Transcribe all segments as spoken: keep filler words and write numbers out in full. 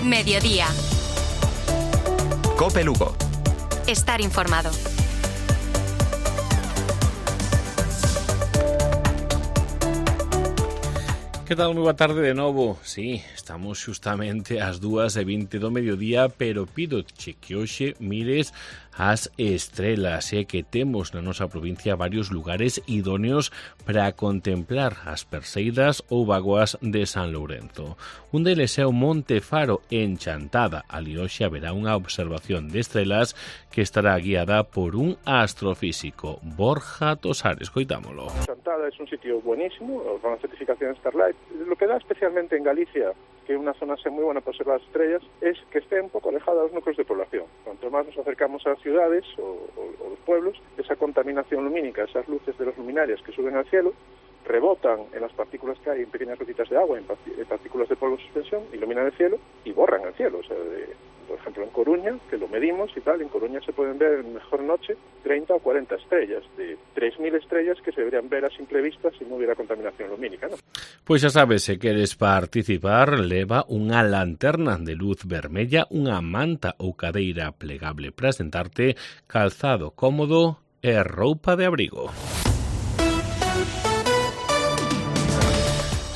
Mediodía. Cope Lugo. Estar informado. Que tal? Moi boa tarde de novo. Sí, estamos xustamente ás dúas e vinte do mediodía, pero pido che que hoxe mires as estrelas, e que temos na nosa provincia varios lugares idóneos para contemplar as perseidas ou vagoas de San Lourenzo. Un deles é o Monte Faro en Chantada. Ali hoxe haberá unha observación de estrelas que estará guiada por un astrofísico, Borja Tosares. Coitámolo. Chantada es un sitio buenísimo, con la certificación Starlight. Lo que da especialmente en Galicia, que es una zona muy buena para observar las estrellas, es que esté un poco alejada de los núcleos de población. Cuanto más nos acercamos a las ciudades o, o, o los pueblos, esa contaminación lumínica, esas luces de los luminarias que suben al cielo, rebotan en las partículas que hay en pequeñas gotitas de agua, en, en partículas de polvo en suspensión, iluminan el cielo y borran el cielo. O sea, de, por ejemplo, en Coruña, que lo medimos y tal, en Coruña se pueden ver en mejor noche treinta o cuarenta estrellas, de tres mil estrellas que se deberían ver a simple vista si no hubiera contaminación lumínica, ¿no? Pois xa sabes, se queres participar, leva unha lanterna de luz vermella, unha manta ou cadeira plegable para sentarte, calzado cómodo e roupa de abrigo.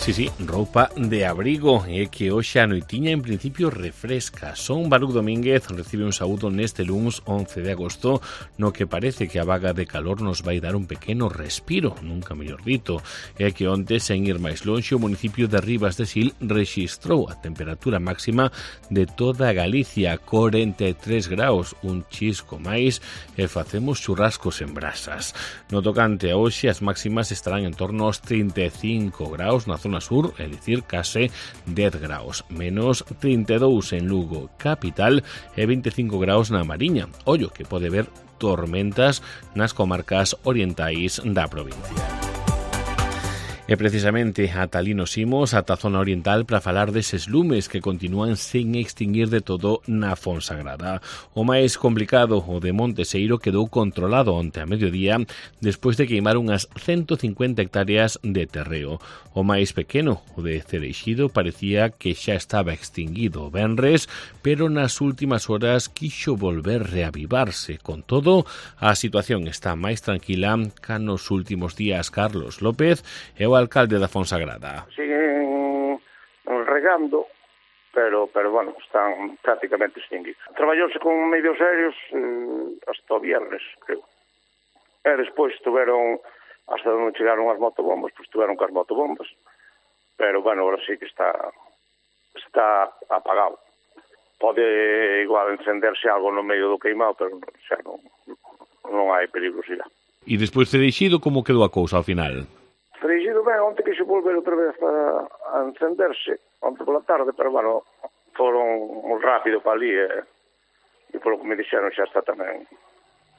Sí, sí, roupa de abrigo, e que hoxe a noitiña en principio refresca. Son Baruch Domínguez recibe un saúdo neste luns once de agosto, no que parece que a vaga de calor nos vai dar un pequeno respiro, nunca mellor dito. E que onte, sen ir máis lonxe, o municipio de Ribas de Sil rexistrou a temperatura máxima de toda Galicia, corenta e tres graus, un chisco máis, e facemos churrascos en brasas. No tocante a hoxe, as máximas estarán en torno aos trinta e cinco graus na zona sur, é dicir, case dez graus, menos trinta e dous en Lugo capital e vinte e cinco graus na Mariña. Ollo que pode haber tormentas nas comarcas orientais da provincia. E precisamente ata ali nos imos, ata a zona oriental, para falar deses lumes que continúan sen extinguir de todo na Fonsagrada. O máis complicado, o de Monteseiro, quedou controlado onte a mediodía despois de queimar unhas ciento cincuenta hectáreas de terreo. O máis pequeno, o de Cereixido, parecía que xa estaba extinguido o venres, pero nas últimas horas quixo volver reavivarse. Con todo, a situación está máis tranquila ca nos últimos días. Carlos López é o alcalde da Fonsagrada. Siguen regando, pero pero bueno, están prácticamente extinguidos. Traballouse con medios aéreos eh, hasta o viernes, creo. E despois tuveron, hasta onde chegaron as motobombas, pois tuveron cas motobombas. Pero bueno, ahora sí que está está apagado. Pode igual encenderse algo no medio do queimado, pero xa non, non hai perigosidade. E despois Cereixido, como quedou a cousa ao final? Cereixido ben, onte quixo volver outra vez a, a encenderse, onte pola tarde, pero bueno, foron moi rápido para ali e, e polo que me dixeron xa está tamén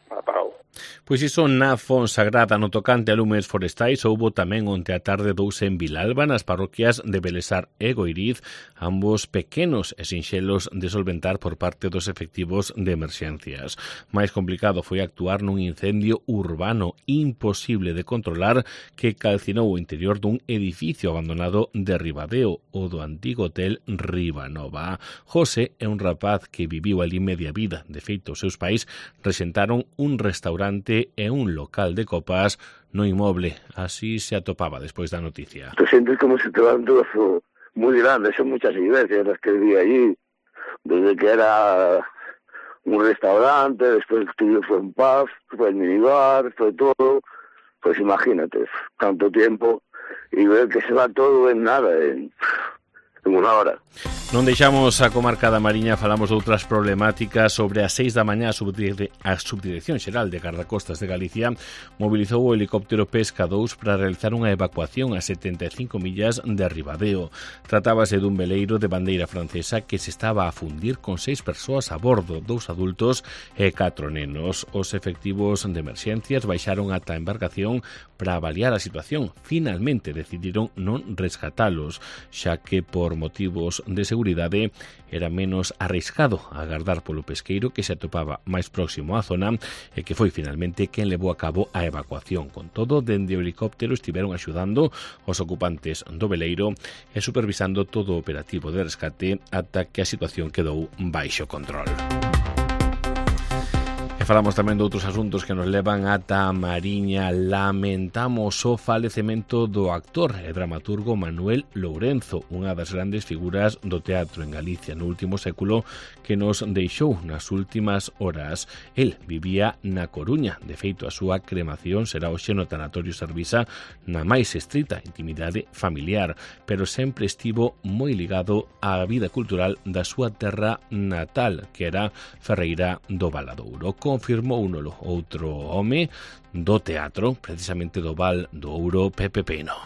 apagado. Pois iso na Fonsagrada. No tocante a lumes forestais, houbo tamén onte a tarde dous en Vilalba, nas parroquias de Belesar e Goiriz, ambos pequenos e sinxelos de solventar por parte dos efectivos de emerxencias. Máis complicado foi actuar nun incendio urbano imposible de controlar que calcinou o interior dun edificio abandonado de Ribadeo, o do antigo hotel Ribanova. José é un rapaz que viviu ali media vida. De feito, os seus pais rexentaron un restaurante e un local de copas no inmoble. Así se atopaba despois da noticia. Te sientes como se te va un trozo muy grande. Son muchas iglesias las que vi allí, desde que era un restaurante, después fue un pub, fue el minibar, fue todo. Pues imagínate, tanto tiempo y ver que se va todo en nada, en... en unha hora. Non deixamos a comarca da Mariña, falamos de outras problemáticas. Sobre as seis da mañá, a Subdirección Xeral de Gardacostas de Galicia mobilizou o helicóptero Pesca dous para realizar unha evacuación a setenta e cinco millas de Ribadeo. Tratábase dun veleiro de bandeira francesa que se estaba a fundir con seis persoas a bordo, dous adultos e catro nenos. Os efectivos de emerxencias baixaron ata a embarcación para avaliar a situación. Finalmente decidiron non rescatalos, xa que por motivos de seguridade seguridade era menos arriscado agardar polo pesqueiro que se atopaba máis próximo á zona e que foi finalmente quen levou a cabo a evacuación. Con todo, dende o helicóptero estiveron axudando os ocupantes do veleiro e supervisando todo o operativo de rescate ata que a situación quedou baixo control. Falamos tamén de outros asuntos que nos levan ata a Mariña. Lamentamos o falecemento do actor e dramaturgo Manuel Lourenzo, unha das grandes figuras do teatro en Galicia no último século, que nos deixou nas últimas horas. El vivía na Coruña. De feito, a súa cremación será hoxe no tanatorio Servisa, na máis estrita intimidade familiar, pero sempre estivo moi ligado á vida cultural da súa terra natal, que era Ferreira do Valadouro. Confirmou uno outro home do teatro, precisamente do Val do Ouro, Pepe Peno.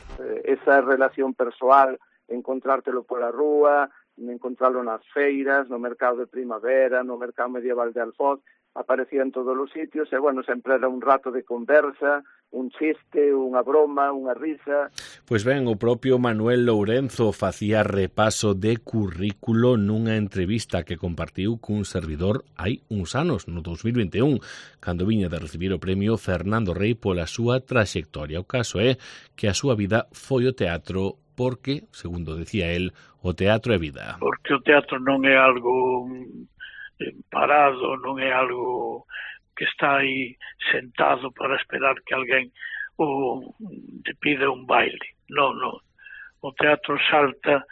Esa relación persoal, encontrártelo pola rúa, encontrarlo nas feiras, no mercado de primavera, no mercado medieval de Alfoz, aparecía en todos os sitios e, bueno, sempre era un rato de conversa, un chiste, unha broma, unha risa. Pois ben, o propio Manuel Lourenzo facía repaso de currículo nunha entrevista que compartiu cun servidor hai uns anos, no dos mil vinte e un, cando viña de recibir o premio Fernando Rey pola súa traxectoria. O caso é que a súa vida foi o teatro porque, segundo decía el, o teatro é vida. Porque o teatro non é algo parado, non é algo que está aí sentado para esperar que alguén o te pida un baile. Non, non. O teatro salta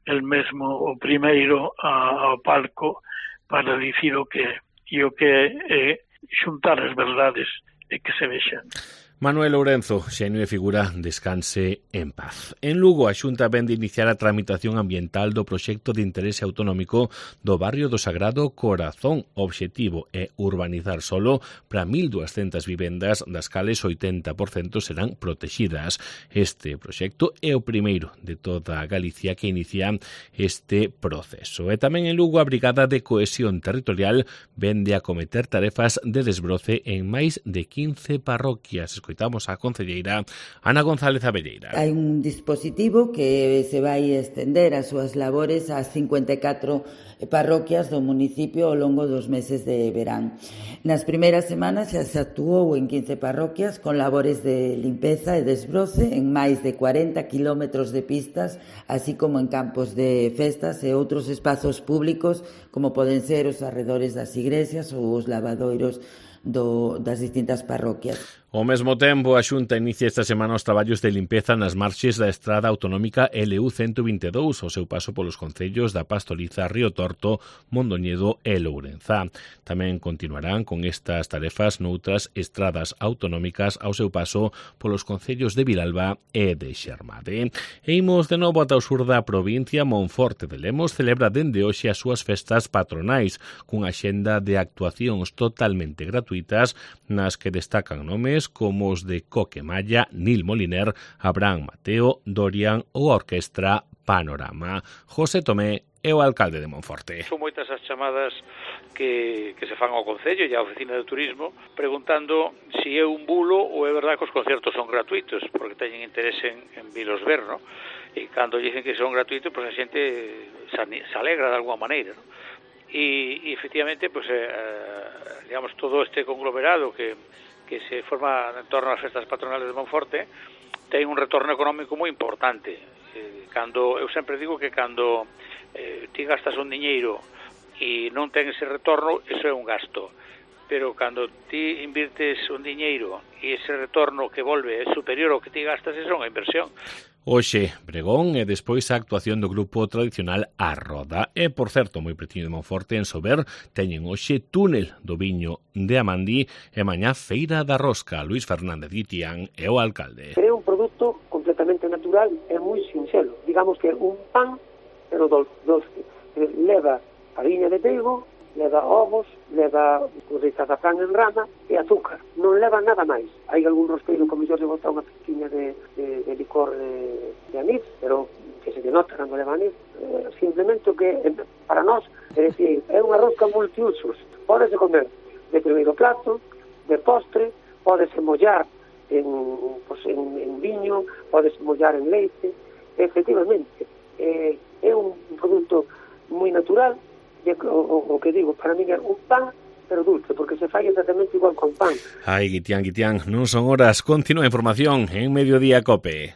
el mesmo o primeiro ao palco para dicir o que é. E o que é xuntar as verdades e que se vexan. Manuel Lourenzo, xenio e figura, descanse en paz. En Lugo, a Xunta vén de iniciar a tramitación ambiental do proxecto de interese autonómico do barrio do Sagrado Corazón. O obxectivo é urbanizar solo para mil duascentas vivendas, das cales oitenta por cento serán protegidas. Este proxecto é o primeiro de toda Galicia que inicia este proceso. E tamén en Lugo, a Brigada de Cohesión Territorial vende a cometer tarefas de desbroce en máis de quince parroquias. Escoitamos a concelleira Ana González Abelleira. Hai un dispositivo que se vai estender as súas labores ás cincuenta e catro parroquias do municipio ao longo dos meses de verán. Nas primeiras semanas xa se actuou en quince parroquias con labores de limpeza e desbroce en máis de cuarenta kilómetros de pistas, así como en campos de festas e outros espazos públicos como poden ser os arredores das igrexas ou os lavadoiros do, das distintas parroquias. Ao mesmo tempo, a Xunta inicia esta semana os traballos de limpeza nas marxes da estrada autonómica L U ciento vinte e dous, ao seu paso polos concellos da Pastoriza, Río Torto, Mondoñedo e Lourenzá. Tamén continuarán con estas tarefas noutras estradas autonómicas ao seu paso polos concellos de Vilalba e de Xermade. E imos de novo ata o sur da provincia. Monforte de Lemos celebra dende hoxe as súas festas patronais, cunha xenda de actuacións totalmente gratuitas nas que destacan nomes como os de Coque Malla, Nil Moliner, Abraham Mateo, Dorian ou a Orquestra Panorama. José Tomé é o alcalde de Monforte. Son moitas as chamadas que, que se fan ao Concello e á Oficina de Turismo preguntando se é un bulo ou é verdade que os concertos son gratuitos, porque teñen interese en, en vilos ver, ¿no? E cando dicen que son gratuitos, pues a xente se, se alegra de alguma maneira, ¿no? E, e efectivamente, pues, eh, digamos, todo este conglomerado que que se forma en torno ás festas patronales de Monforte, ten un retorno económico moi importante. Eh, cando eu sempre digo que cando eh, ti gastas un diñeiro e non ten ese retorno, eso é un gasto. Pero cando ti invirtes un diñeiro e ese retorno que volve é superior ao que ti gastas, eso é unha inversión. Hoxe, pregón e despois a actuación do grupo tradicional A Roda. E, por certo, moi pretiño de Monforte, en Sober, teñen hoxe túnel do viño de Amandí e mañá feira da rosca. Luís Fernández Guitián é o alcalde. É un produto completamente natural e moi sinxelo. Digamos que un pan, pero doce. Leva fariña de trigo, leva ovos, leva azafrán en rama e azúcar. Non leva nada máis. Hai algún rosqueiro que mellor se bota unha pequinha de, de, de licor de, de anís, pero que se denota cando leva anís. Eh, simplemente o que para nós é decir, é unha rosca multiusos. Pódese comer de primeiro plato, de postre, pódese mollar en, pues, en, en viño, pódese mollar en leite. Efectivamente, eh, é un produto moi natural, e o, o, o que digo, para mí é un pan pero dulce, porque se fai exactamente igual con pan. Ai, Guitián, Guitián, non son horas. Continúa a información en Mediodía Cope.